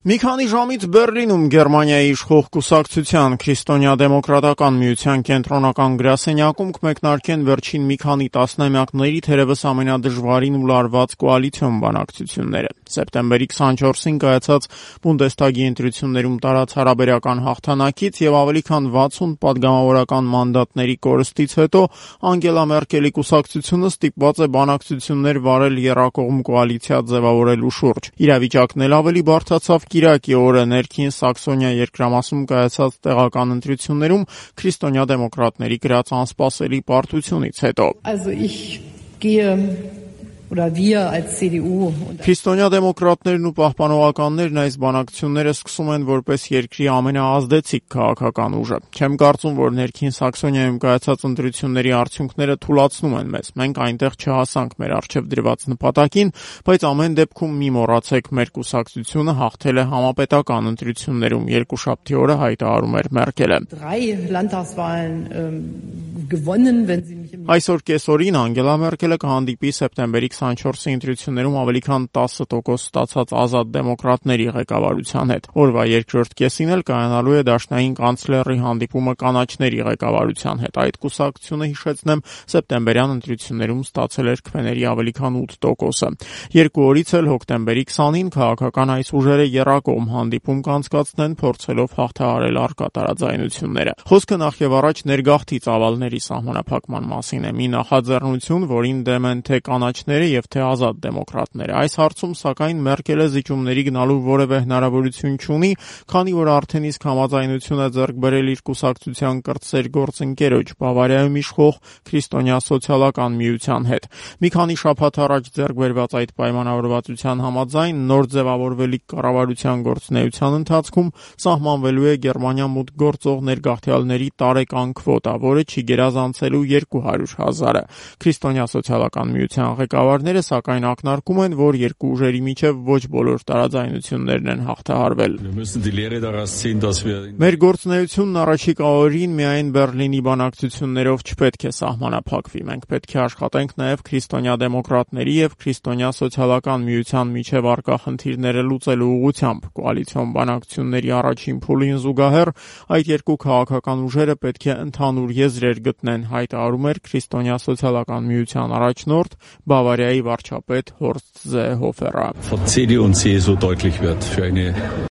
Մի քանի ժամից Բեռլինում Գերմանիայի իշխող կուսակցության Քրիստոնյա դեմոկրատական միության կենտրոնական գրասենյակում կմեկնարկեն վերջին մի քանի տասնամյակների թերևս ամենադժվարին ու լարված կոալիցիոն բանակցությունները։ Սեպտեմբերի 24-ին կայացած Բունդեսթագի ընտրություններում տարած հարաբերական հաղթանակից եւ ավելի քան 60 պատգամավորական մանդատների կորստից հետո Անգելա Մերկելի կուսակցությունը ստիպված է բանակցություններ վարել եռակողմ կոալիցիա ձևավորելու շուրջ։ Իրավիճակն էլ ավելի բարդացավ Կիրակի օրը ներքին Սաքսոնիա երկրամասում կայացած տեղական ընտրություններում քրիստոնյա դեմոկրատների գրած անսպասելի պարտությունից հետո։ Քրիստոնյա դեմոկրատներն ու պահպանողականներն այս բանակցությունները սկսում են որպես երկրի ամենաազդեցիկ քաղաքական ուժը։ Չեմ կարծում, որ ներքին Սաքսոնիայում կայացած ընտրությունների արդյունքները թուլացնում են մեզ։ Մենք այնտեղ չհասանք մեր առջև դրված նպատակին, բայց ամեն դեպքում մի մոռացեք, մեր կուսակցությունը հաղթել է համապետական ընտրություններում, երկուշաբթի օրը հայտարարում էր Մերկելը։ Այսօր կեսօրին Անգելա Մերկելը կհանդիպի սեպտեմբերի 24-ի ընտրություններում ավելի քան 10% ստացած ազատ դեմոկրատների ղեկավարության հետ։ Օրվա երկրորդ կեսին էլ կայանալու է դաշնային կանցլերի հանդիպումը կանաչների ղեկավարության հետ։ Այդ կուսակցությունը, հիշեցնեմ, սեպտեմբերյան ընտրություններում ստացել էր քվեների ավելի քան 8%-ը։ Երկու օրից էլ հոկտեմբերի 20-ին քաղաքական այս ուժերը եռակողմ հանդիպում կանցկացնեն, փորձելով հաղթահարել առկա տարաձայնությունները։ Խոսքը նախ եւ առաջ ներգաղթի ծավալների սահմանափակման մասին է։ Մի նախաձեռնություն, որին դեմ են թե կանաչները եւ թե ազատ դեմոկրատները։ Այս հարցում սակայն Մերկելը զիջումների գնալու որևէ հնարավորություն չունի, քանի որ արդեն իսկ համաձայնություն է ձեռք բերել իր կուսակցության կրտսեր գործընկերոջ Բավարիայում իշխող քրիստոնյա սոցիալական միության հետ։ Մի քանի շաբաթ առաջ ձեռք բերված այդ պայմանավորվածության համաձայն նոր ձևավորվելիք կառավարության գործունեության ընթացքում սահմանվելու է Գերմանիա մուտք գործող ներգաղթյալների տարեկան քվոտա, որը չի գերազանցելու 200,000-ը։ Քրիստոնյա սոցիալական միության ղեկավարները սակայն ակնարկում են, որ երկու ուժերի միջև ոչ բոլոր տարաձայնություններն են հաղթահարվել։ Մեր գործունեությունն առաջիկա օրերին միայն Բեռլինի բանակցություններով չպետք է սահմանափակվի։ Մենք պետք է աշխատենք նաև քրիստոնյա դեմոկրատների եւ քրիստոնյա սոցիալական միության միջև առկա խնդիրները լուծելու ուղղությամբ։ Կոալիցիոն բանակցությունների առաջին փուլին զուգահեռ այդ երկու քաղաքական ուժերը պետք է ընդհանուր եզրեր գտնեն, հայտարարում էր քրիստոնյա սոցիալական միության առաջնորդ Բավարիայի վարչապետ Հորստ Զեհոֆերը։